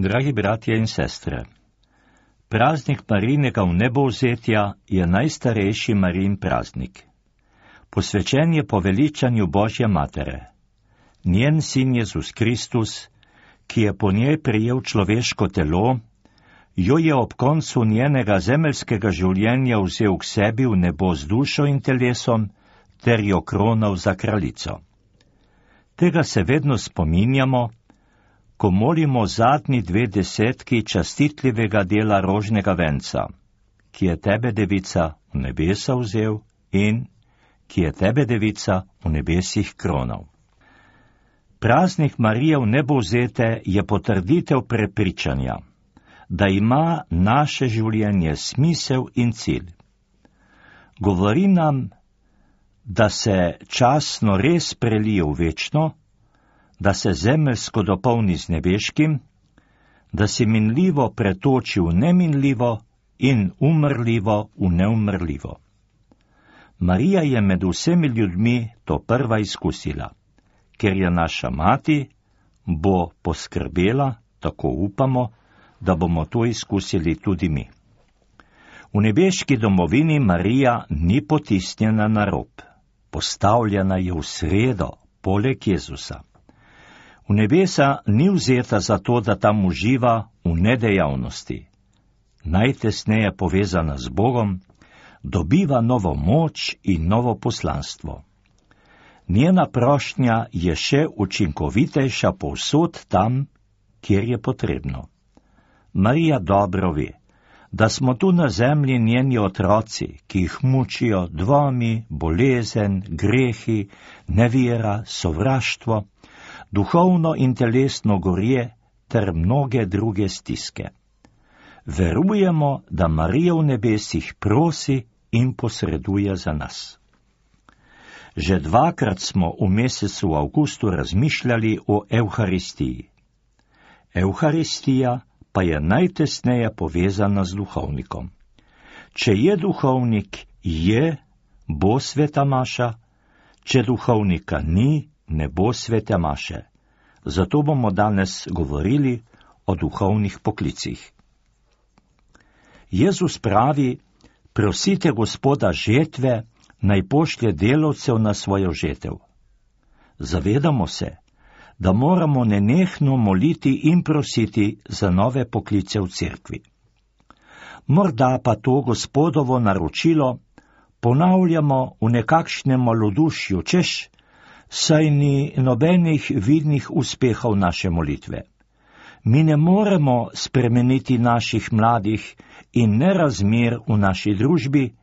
Dragi bratje in sestre, praznik Marijinega vnebovzetja je najstarejši Marijin praznik. Posvečen je poveličanju Božje matere. Njen sin Jezus Kristus, ki je po njej prejel človeško telo, jo je ob koncu njenega zemeljskega življenja vzel k sebi v nebo z dušo in telesom ter jo kronal za kraljico. Tega se vedno spominjamo, ko molimo zadnji 2 desetki častitljivega dela rožnega venca, ki je tebe, devica, v nebesa vzel in ki je tebe, devica, v nebesih kronal. Praznik Marije vnebovzete je potrditev prepričanja, da ima naše življenje smisel in cilj. Govori nam, da se časno res prelije v večno, da se zemeljsko dopolni z nebeškim, da se minljivo pretoči v neminljivo in umrljivo v neumrljivo. Marija je med vsemi ljudmi to prva izkusila, ker je naša mati, bo poskrbela, tako upamo, da bomo to izkusili tudi mi. V nebeški domovini Marija ni potisnjena na rob, postavljena je v sredo, poleg Jezusa. V nebesa ni vzeta zato, da tam uživa v nedejavnosti. Najtesneje povezana z Bogom, dobiva novo moč in novo poslanstvo. Njena prošnja je še učinkovitejša povsod tam, kjer je potrebno. Marija dobro ve, da smo tu na zemlji njeni otroci, ki jih mučijo dvomi, bolezen, grehi, nevera, sovraštvo, duhovno in telesno gorje ter mnoge druge stiske. Verujemo, da Marija v nebesih prosi in posreduje za nas. Že 2-krat smo v mesecu avgustu razmišljali o Evharistiji. Evharistija pa je najtesneje povezana z duhovnikom. Če je duhovnik, bo sveta maša, če duhovnika ni, ne bo svete maše. Zato bomo danes govorili o duhovnih poklicih. Jezus pravi, prosite Gospoda žetve, naj pošlje delavcev na svojo žetev. Zavedamo se, da moramo nenehno moliti in prositi za nove poklice v cerkvi. Morda pa to Gospodovo naročilo ponavljamo v nekakšnem malodušju, češ, saj ni nobenih vidnih uspehov naše molitve. Mi ne moremo spremeniti naših mladih in nerazmer v naši družbi,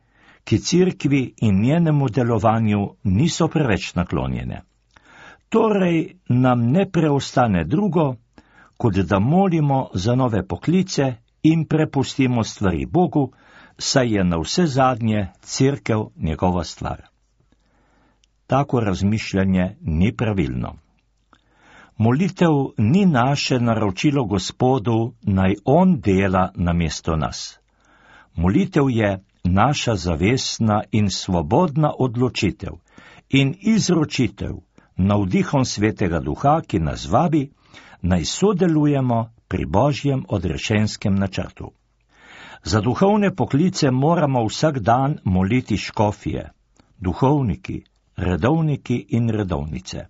ki cerkvi in njenemu delovanju niso preveč naklonjene. Torej nam ne preostane drugo, kot da molimo za nove poklice in prepustimo stvari Bogu, saj je na vse zadnje cerkev njegova stvar. Tako razmišljanje ni pravilno. Molitev ni naše naročilo Gospodu, naj on dela namesto nas. Molitev je naša zavestna in svobodna odločitev in izročitev navdihom Svetega Duha, ki nas vabi, naj sodelujemo pri Božjem odrešenskem načrtu. Za duhovne poklice moramo vsak dan moliti škofije, duhovniki, redovniki in redovnice.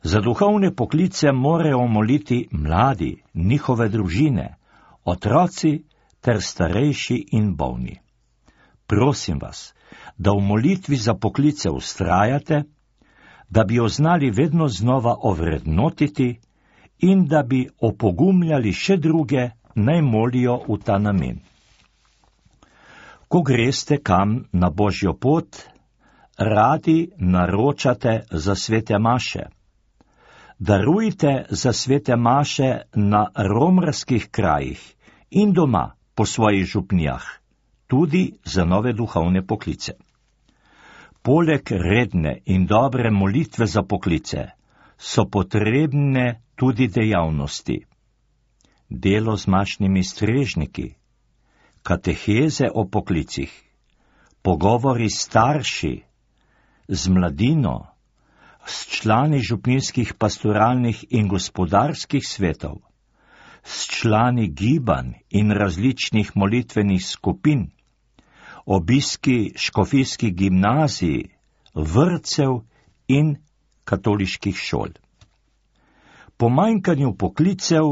Za duhovne poklice morajo moliti mladi, njihove družine, otroci ter starejši in bolni. Prosim vas, da v molitvi za poklice vztrajate, da bi jo znali vedno znova ovrednotiti in da bi opogumljali še druge, naj molijo v ta namen. Ko greste kam na Božjo pot, radi naročate za svete maše. Darujte za svete maše na romarskih krajih in doma po svojih župnijah, tudi za nove duhovne poklice. Poleg redne in dobre molitve za poklice so potrebne tudi dejavnosti. Delo z mašnimi strežniki, kateheze o poklicih, pogovori s starši, z mladino, s člani župnijskih pastoralnih in gospodarskih svetov, s člani gibanj in različnih molitvenih skupin, obiski škofijskih gimnazij, vrtcev in katoliških šol. Pomanjkanju poklicev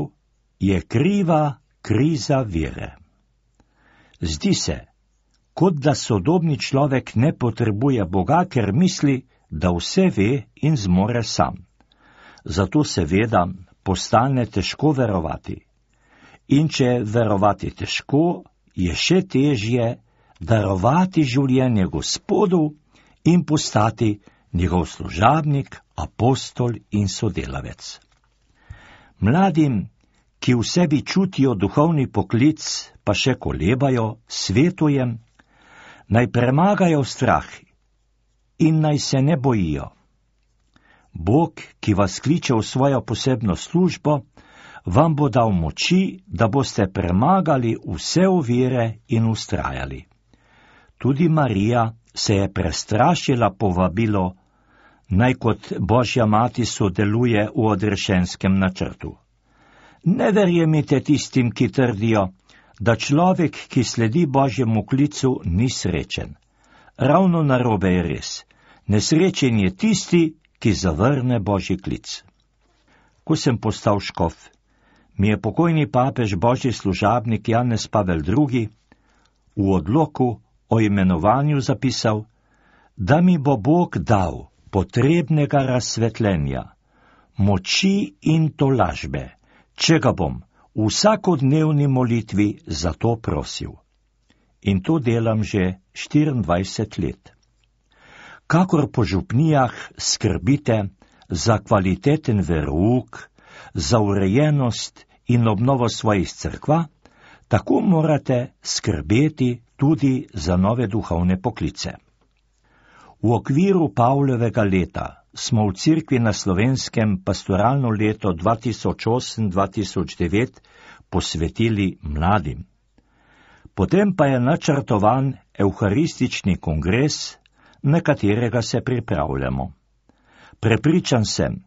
je kriva kriza vere. Zdi se, kot da sodobni človek ne potrebuje Boga, ker misli, da vse ve in zmore sam. Zato seveda postane težko verovati. In če je verovati težko, je še težje darovati življenje Gospodu in postati njegov služabnik, apostol in sodelavec. Mladim, ki v sebi čutijo duhovni poklic, pa še kolebajo, svetujem, naj premagajo strah in naj se ne bojijo. Bog, ki vas kliče v svojo posebno službo, vam bo dal moči, da boste premagali vse ovire in ustrajali. Tudi Marija se je prestrašila povabilo, naj kot Božja mati sodeluje v odrešenskem načrtu. Ne verjemite tistim, ki trdijo, da človek, ki sledi Božjemu klicu, ni srečen. Ravno narobe je res. Nesrečen je tisti, ki zavrne Božji klic. Ko sem postal škof, mi je pokojni papež Božji služabnik Janez Pavel II. V odloku o imenovanju zapisal, da mi bo Bog dal potrebnega razsvetljenja, moči in tolažbe, če ga bom v vsakodnevni molitvi za to prosil. In to delam že 24 let. Kakor po župnijah skrbite za kvaliteten verouk, za urejenost in obnovo svojih cerkva, tako morate skrbeti tudi za nove duhovne poklice. V okviru Pavlovega leta smo v Cerkvi na Slovenskem pastoralno leto 2008-2009 posvetili mladim. Potem pa je načrtovan evharistični kongres, na katerega se pripravljamo. Prepričan sem,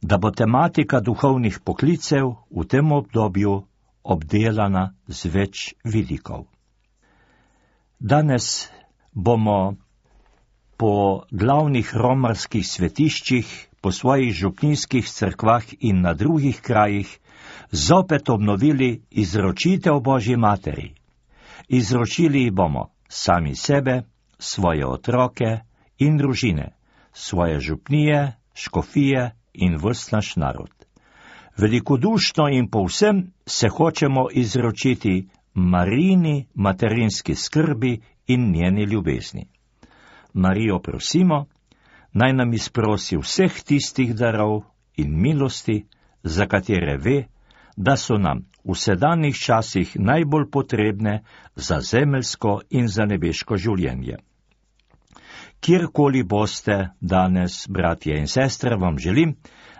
da bo tematika duhovnih poklicev v tem obdobju obdelana z več vidikov. Danes bomo po glavnih romarskih svetiščih, po svojih župnijskih cerkvah in na drugih krajih zopet obnovili izročitev Božji materi. Izročili bomo sami sebe, svoje otroke in družine, svoje župnije, škofije in ves naš narod. Velikodušno in povsem se hočemo izročiti Marijini materinski skrbi in njeni ljubezni. Marijo prosimo, naj nam izprosi vseh tistih darov in milosti, za katere ve, da so nam v sedanjih časih najbolj potrebne za zemeljsko in za nebeško življenje. Kjerkoli boste danes, bratje in sestre, vam želim,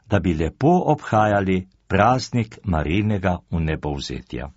da bi lepo obhajali praznik Marijinega vnebovzetja.